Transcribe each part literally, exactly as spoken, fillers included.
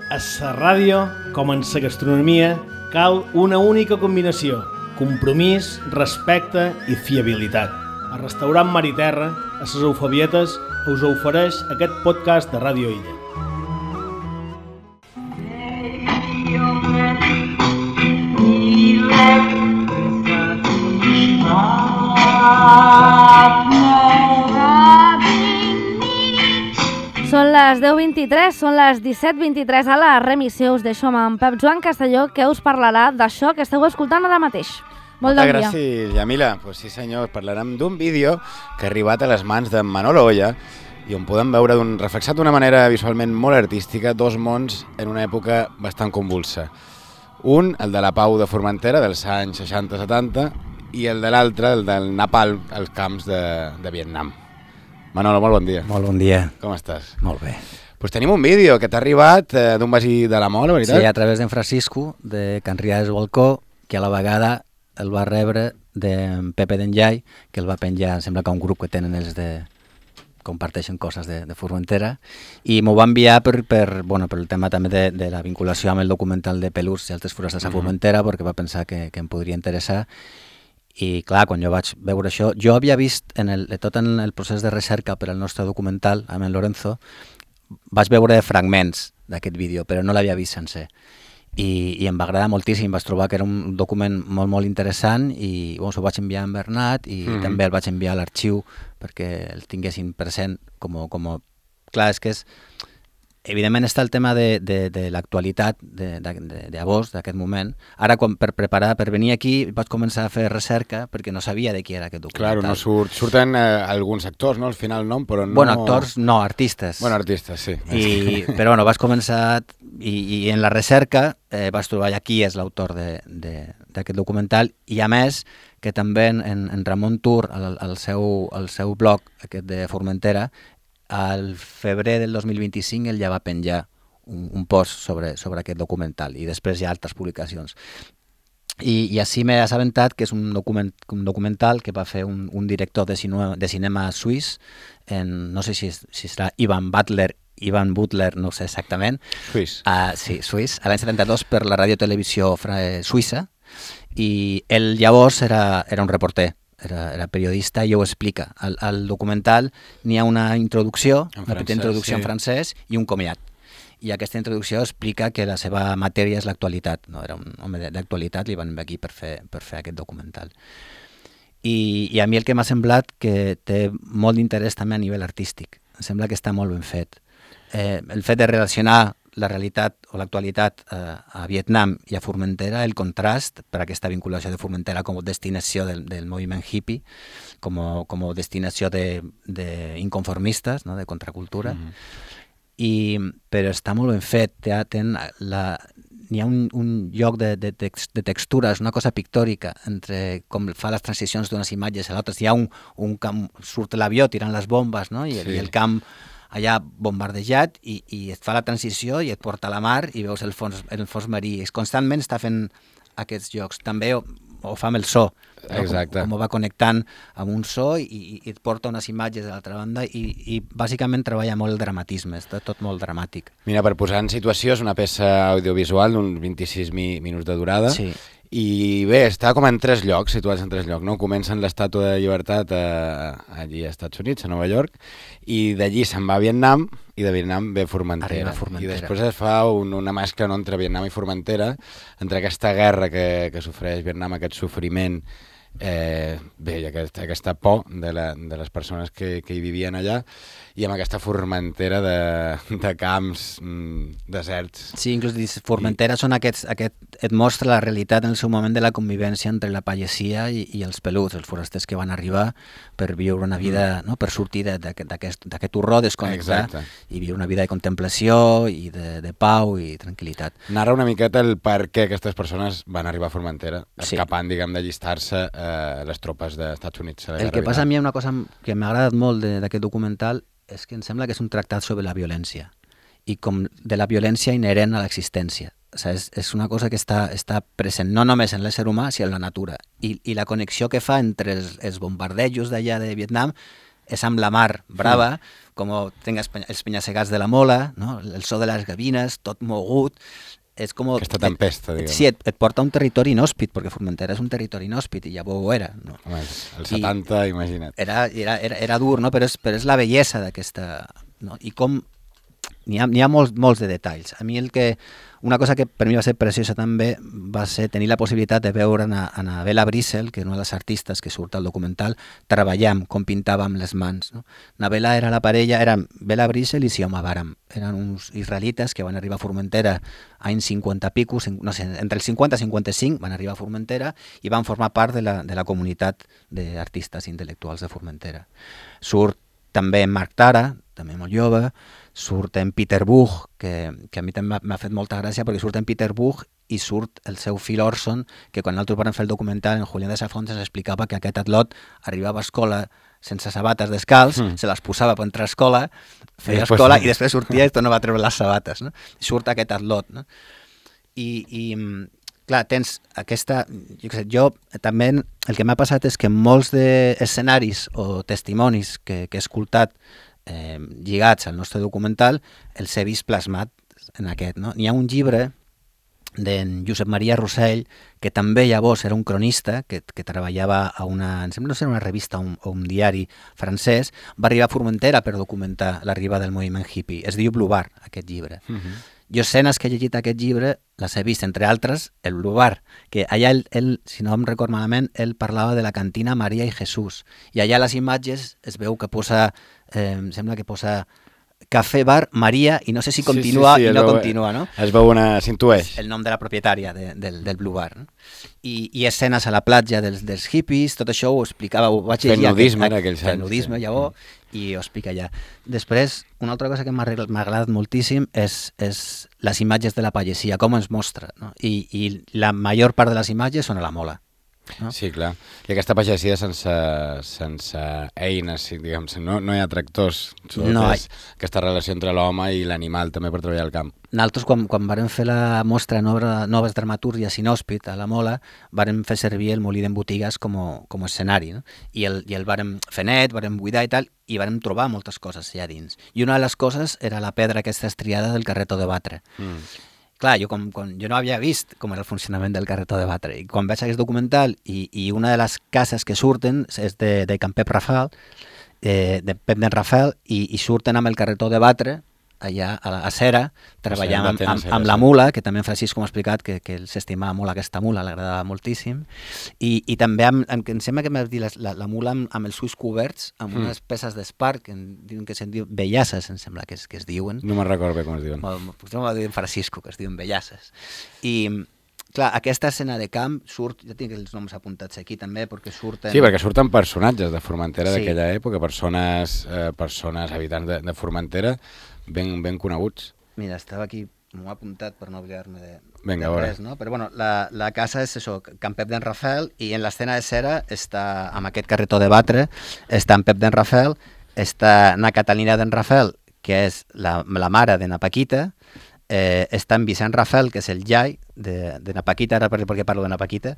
A la ràdio, com en la gastronomia, cal una única combinació: compromís, respecte i fiabilitat. El restaurant Mar i Terra, a les Eufebietes, us ofereix aquest podcast de Ràdio Illa. Són les deu vint-i-tres, són les disset vint-i-tres a la remissió. Us deixo amb en Pep Joan Castelló, que us parlarà d'això que esteu escoltant ara mateix. Molt Moltes bon dia. gràcies, Yamila. Pues sí senyor, parlarem d'un vídeo que ha arribat a les mans de Manolo Oya i on podem veure d'un, reflexat d'una manera visualment molt artística dos mons en una època bastant convulsa. Un, el de la pau de Formentera dels anys seixanta setanta, i el de l'altre, el del Napalm als camps de, de Vietnam. Manolo, molt bon dia. Molt bon dia. Com estàs? Molt bé. Pues tenim un vídeo que t'ha arribat eh, d'un veí de la Mola, veritat? Sí, a través d'en Francisco, de Can Riades Balcó, que a la vegada el va rebre d'en Pepe d'Enllai, que el va penjar, sembla que un grup que tenen els de... comparteixen coses de, de Formentera, i m'ho va enviar per, per, bueno, per el tema també de, de la vinculació amb el documental de Pelús i altres forastes a Formentera, perquè va pensar que, que em podria interessar. I clar, quan jo vaig veure això, jo havia vist en el, tot en el procés de recerca per al nostre documental, amb en Lorenzo, vaig veure fragments d'aquest vídeo, però no l'havia vist sencer. I, i em va agradar moltíssim, vaig trobar que era un document molt, molt interessant i bueno, ho vaig enviar a en Bernat i mm-hmm. també el vaig enviar a l'arxiu perquè el tinguessin present com, com... Clar, és que és... Evidentment està el tema de, de, de l'actualitat de, de, de, de Abós, d'aquest moment. Ara, quan, per preparar, per venir aquí, vaig començar a fer recerca perquè no sabia de qui era aquest documental. Claro, no surt, surten eh, alguns actors, no? Al final nom, però no... Bueno, actors no, artistes. Bueno, artistes, sí. I, però bueno, vaig començar, i, i en la recerca eh, vaig trobar ja qui és l'autor d'aquest documental, i a més que també en, en Ramon Tur, al, al, seu, al seu blog, aquest de Formentera, al febrer del dos mil vint-i-cinc ell ja va penjar un, un post sobre, sobre aquest documental i després hi ha altres publicacions. I, i així m'he assabentat que és un, document, un documental que va fer un, un director de cinema, de cinema suís, en, no sé si, si serà Ivan Butler, Ivan Butler, no sé exactament. Suís. Uh, sí, suís, a l'any setanta-dos per la radiotelevisió eh, suïssa, i ell llavors era, era un reporter. Era, era periodista i ho explica. Al, al documental n'hi ha una introducció, en una francès, petita introducció sí. en francès i un comiat. I aquesta introducció explica que la seva matèria és l'actualitat. No? Era un home d'actualitat, li van venir aquí per fer, per fer aquest documental. I, I a mi el que m'ha semblat que té molt d'interès també a nivell artístic. Em sembla que està molt ben fet. Eh, el fet de relacionar la realitat o l'actualitat eh, a Vietnam i a Formentera, el contrast per aquesta vinculació de Formentera com a destinació del, del moviment hippie, com a, com a destinació d'inconformistes, no? De contracultura, mm-hmm. I, però està molt ben fet. Té, ten la, n'hi ha un, un lloc de, de, text, de textures, una cosa pictòrica, entre com fa les transicions d'unes imatges a l'altres. Hi ha un, un camp, surt l'avió tirant les bombes, no? I, sí. I el camp allà bombardejat i, i et fa la transició i et porta a la mar i veus el fons, el fons marí. Constantment està fent aquests jocs. També ho, ho fa amb el so. Exacte. Com, com ho va connectant amb un so i, i et porta unes imatges de l'altra banda i, i bàsicament treballa molt el dramatisme, està tot molt dramàtic. Mira, per posar en situació, és una peça audiovisual d'uns vint-i-sis mi, minuts de durada. Sí. I bé, està com en tres llocs, situats en tres llocs, no? Comença en l'Estàtua de Llibertat a, allí als Estats Units, a Nova York, i d'allí se'n va a Vietnam, i de Vietnam ve Formentera. a Formentera. I després es fa un, una mescla no, entre Vietnam i Formentera, entre aquesta guerra que, que sofreix Vietnam, aquest sofriment, eh, bé, i aquesta, aquesta por de, la, de les persones que, que hi vivien allà, i amb aquesta Formentera de, de camps mm, deserts. Sí, inclús Formentera I... són aquests, aquest, et mostra la realitat en el seu moment de la convivència entre la pagesia i, i els peluts, els forasters que van arribar per viure una vida, mm. no? Per sortir d'aquest horror, desconnectar i viure una vida de contemplació i de, de pau i tranquil·litat. Narra una miqueta el per què aquestes persones van arribar a Formentera, escapant, sí. diguem, d'allistar-se a les tropes dels Estats Units. El que passa a mi, una cosa que m'ha agradat molt d'aquest documental és que em sembla que és un tractat sobre la violència i com de la violència inherent a l'existència. O sigui, és, és una cosa que està, està present no només en l'ésser humà, sinó en la natura. I, i la connexió que fa entre els, els bombardejos d'allà de Vietnam és amb la mar brava, mm. com tenga els penyasegats de la mola, no? El so de les gavines, tot mogut. És com... Aquesta tempesta, diguem. Sí, et, et porta a un territori inhòspit, perquè Formentera és un territori inhòspit i ja ho era. No? Home, el setanta, I imagina't. Era, era, era, era dur, no? Però és, però és la bellesa d'aquesta... No? I com... N'hi ha, n'hi ha molts, molts de detalls. A mi el que... Una cosa que per mi va ser preciosa també va ser tenir la possibilitat de veure a Anabela Brissel, que és una de les artistes que surt al documental, treballant com pintava amb les mans. No? Anabela era la parella, eren Bela Brissel i Sioma Baram. Eren uns israelites que van arribar a Formentera anys cinquanta pico, no sé, entre el cinquanta i cinquanta-cinc van arribar a Formentera i van formar part de la, de la comunitat d'artistes intel·lectuals de Formentera. Surt també Marc Tara, també molt jove, surt en Peter Buch, que, que a mi també m'ha fet molta gràcia perquè surt en Peter Buch i surt el seu fill Orson, que quan nosaltres vam fer el documental en Julián de Safont ens explicava que aquest atlot arribava a escola sense sabates descalç, mm. se les posava per entrar a escola, feia I després... escola i després sortia i tornava a treure les sabates. No? I surt aquest atlot. No? I, i clar, tens aquesta... Jo, sé, jo també el que m'ha passat és que molts d'escenaris o testimonis que, que he escoltat Eh, lligats al nostre documental, els he vist plasmat en aquest. No? N'hi ha un llibre d'en Josep Maria Rossell, que també llavors era un cronista, que, que treballava a una, em sembla no ser una revista o un, o un diari francès, va arribar a Formentera per documentar l'arribada del moviment hippie. Es diu Blue Bar, aquest llibre. Uh-huh. Jo escenes que he llegit aquest llibre les he vist, entre altres, el Blue Bar, que allà, ell, ell, si no em record malament, ell parlava de la cantina Maria i Jesús. I allà a les imatges es veu que posa, eh, em sembla que posa Cafè Bar Maria, i no sé si continua sí, sí, sí, i no veu, continua, no? Es veu una... s'intueix. El nom de la propietària de, del, del Blue Bar. No? I, I escenes a la platja dels, dels hippies, tot això ho explicava, ho vaig llegir... Fent nudisme en aquells anys. Fent nudisme, sí. Llavors, i ho explica allà. Després, una altra cosa que m'ha agradat moltíssim és, és les imatges de la pagesia, com ens mostra. No? I, I la major part de les imatges són a la mola. No? Sí, clar. I aquesta pagesia sense, sense eines, diguem, no, no hi ha tractors. No hi... Aquesta relació entre l'home i l'animal també per treballar al camp. Nosaltres, quan, quan vam fer la mostra Nova, Noves Dramatúrgies Inhòspit a la Mola, vam fer servir el molí d'en Botigues com, com a escenari. No? I el, i el vam fer net, vam buidar i tal, i vam trobar moltes coses allà dins. I una de les coses era la pedra aquesta estriada del carretó de batre. Mm. Clar, jo, com, com, jo no havia vist com era el funcionament del carretó de batre. I quan veig aquest documental i, i una de les cases que surten és de, de Can Pep Rafael, eh, de Pep d'en Rafael, i, i surten amb el carretó de batre allà a la a Cera, treballant amb, amb, amb la mula, que també en Francisco m'ha explicat que, que s'estimava molt aquesta mula, l'agradava moltíssim, i, i també amb, amb, em sembla que m'ha dit la, la, la mula amb, amb els ulls coberts, amb mm. unes peces d'espart, que diuen que se'n diu bellasses, em sembla que es, que es diuen. No me'n recordo bé com es diuen. Potser m'ho diuen Francisco, que es diuen bellasses. I... Clar, aquesta escena de camp surt, ja tinc els noms apuntats aquí també, perquè surten... Sí, perquè surten personatges de Formentera sí. d'aquella època, persones, eh, persones habitants de, de Formentera ben, ben coneguts. Mira, estava aquí, m'ho he apuntat per no oblidar-me de, Venga, de res, no? Però bueno, la, la casa és això, Can Pep d'en Rafael, i en l'escena de Cera està, amb aquest carretó de batre, està en Pep d'en Rafael, està na Catalina d'en Rafael, que és la, la mare de na Paquita, Eh, està en Vicent Rafael, que és el iai de, de na Paquita, ara per, perquè parlo de na Paquita,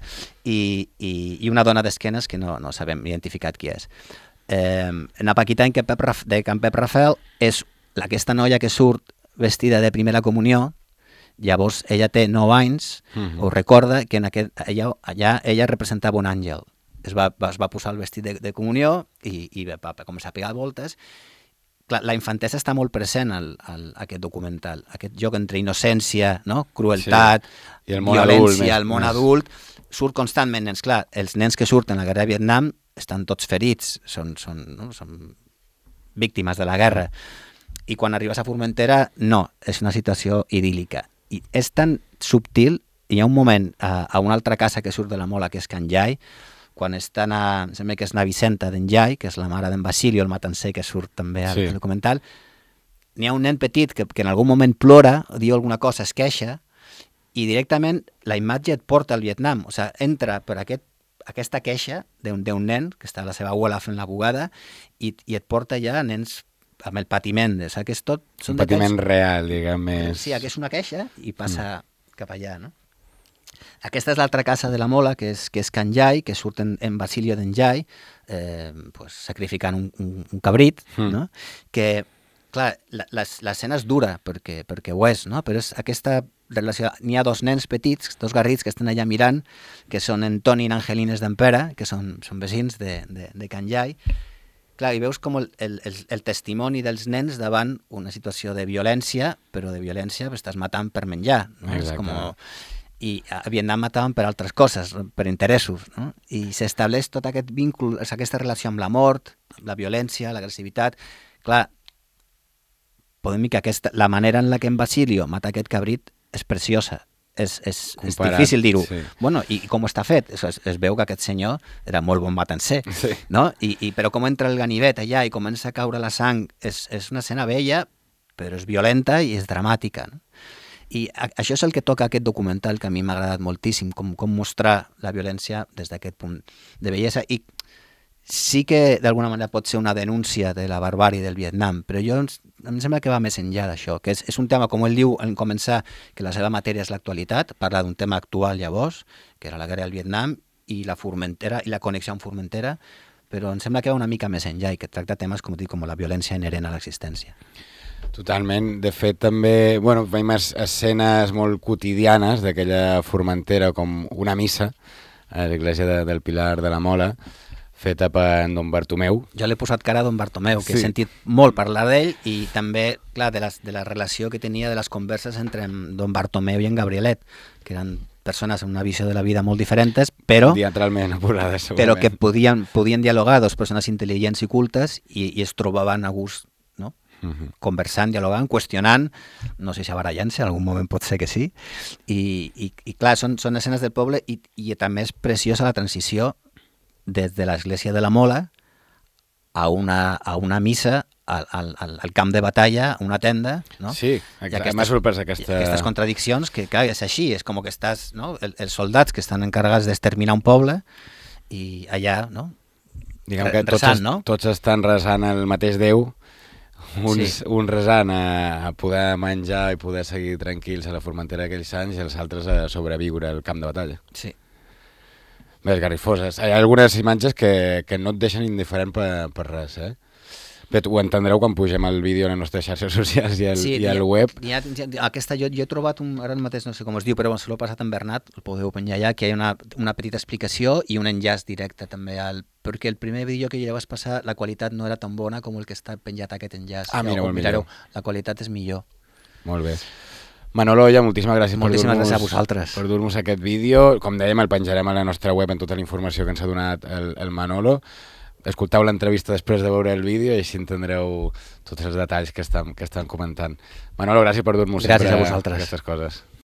i, i, i una dona d'esquenes que no, no sabem identificat qui és. Eh, na Paquita en Pep, de Can Pep Rafael és aquesta noia que surt vestida de primera comunió. Llavors ella té nou anys, uh-huh. ho recorda, que en aquest, allà, allà ella representava un àngel. Es va, es va posar el vestit de, de comunió i, i va, va començar a pegar voltes. Clar, la infantesa està molt present al, al, a aquest documental, aquest joc entre innocència, no? Crueltat, sí. I el món violència, adult, el món més. adult, surt constantment, nens. Clar, els nens que surten a la guerra de Vietnam estan tots ferits, són, són, no? són víctimes de la guerra. I quan arribes a Formentera, no, és una situació idíl·lica. I és tan subtil, hi ha un moment a, a una altra casa que surt de la Mola, que és Can Jai, quan estan a, em sembla que és na Vicenta d'en Jai, que és la mare d'en Basilio, el matancer, que surt també al sí. documental, n'hi ha un nen petit que, que en algun moment plora, o diu alguna cosa, es queixa, i directament la imatge et porta al Vietnam. O sigui, entra per aquest, aquesta queixa d'un nen, que està la seva abuela fent la bugada, i, i et porta ja a nens amb el patiment. O sigui, que és tot... Un patiment detalls, real, diguem més... Sí, que és una queixa i passa mm. cap allà, no? Aquesta és l'altra casa de la Mola, que és, que és Can Jai, que surt en, en Basilio d'en Jai, eh, pues, sacrificant un, un, un cabrit, mm. no? que clar, l'escena és dura, perquè, perquè ho és, no? Però és aquesta relació... N'hi ha dos nens petits, dos garrits que estan allà mirant, que són en Toni i en Angelines d'Empera, que són, són veïns de, de, de Can Jai. Clar, i veus com el, el, el, el testimoni dels nens davant una situació de violència, però de violència estàs matant per menjar, no? És com... I a Vietnam mataven per altres coses, per interessos, no? I s'estableix tot aquest víncle, aquesta relació amb la mort, amb la violència, l'agressivitat. Clar, podem dir que aquesta, la manera en la que en Basilio mata aquest cabrit és preciosa. És, és, és difícil dir-ho. Sí. Bueno, i, i com està fet? Es, es veu que aquest senyor era molt bon matancer, sí. No? I, i, però com entra el ganivet allà i comença a caure la sang, és, és una escena bella, però és violenta i és dramàtica, no? I a, això és el que toca aquest documental, que a mi m'ha agradat moltíssim, com, com mostrar la violència des d'aquest punt de bellesa. I sí que d'alguna manera pot ser una denúncia de la barbàrie del Vietnam, però jo em sembla que va més enllà d'això, que és, és un tema, com ell diu en començar, que la seva matèria és l'actualitat, parla d'un tema actual llavors, que era la guerra del Vietnam, i la Formentera, i la connexió amb Formentera, però em sembla que va una mica més enllà i que tracta temes, com dic, com la violència inherent a l'existència. Totalment. De fet, també, bueno, veiem escenes molt quotidianes d'aquella Formentera, com una missa a l'església de, del Pilar de la Mola, feta per Don Bartomeu. Jo l'he posat cara a Don Bartomeu, que sí. He sentit molt parlar d'ell, i també, clar, de, les, de la relació que tenia de les converses entre Don Bartomeu i en Gabrielet, que eren persones amb una visió de la vida molt diferents, però, diametralment oposades, però que podien, podien dialogar, dos persones intel·ligents i cultes, i, i es trobaven a gust, no? Uh-huh. Conversant, dialogant, qüestionant, no sé si barallant-se, en algun moment pot ser que sí, i, i, i clar, són, són escenes del poble, i, i també és preciosa la transició des de l'església de la Mola a una, a una missa al, al, al camp de batalla, una tenda, no? Sí, exacte. M'ha sorprès aquesta... Aquestes contradiccions, que clar, és així, és com que estàs, no? El, els soldats que estan encarregats d'exterminar un poble, i allà, no? Diguem que tots, resant, no? Tots estan resant el mateix Déu, uns, sí. Un resant a, a poder menjar i poder seguir tranquils a la Formentera d'aquells anys, i els altres a sobreviure al camp de batalla. Sí. Bé, esgarrifoses. Hi ha algunes imatges que, que no et deixen indiferent per, per res, eh? Bé, ho entendreu quan pugem el vídeo a les nostres xarxes socials i al, sí, i al web. Ha, ha, aquesta, jo, jo he trobat, un, ara mateix no sé com es diu, però se l'ho he passat en Bernat, el podeu penjar allà, que hi ha una, una petita explicació i un enllaç directe també al... Perquè el primer vídeo que ja vas passar, la qualitat no era tan bona com el que està penjat aquest enllaç. Ah, mireu, mireu. La qualitat és millor. Molt bé. Manolo Oya, moltíssimes gràcies moltíssimes per dur-nos gràcies per dur-nos aquest vídeo. Com dèiem, el penjarem a la nostra web en tota la informació que ens ha donat el, el Manolo. Escolteu l'entrevista després de veure el vídeo i així entendreu tots els detalls que estan, que estan comentant. Manolo, gràcies per dur-nos sempre a vosaltres. aquestes coses.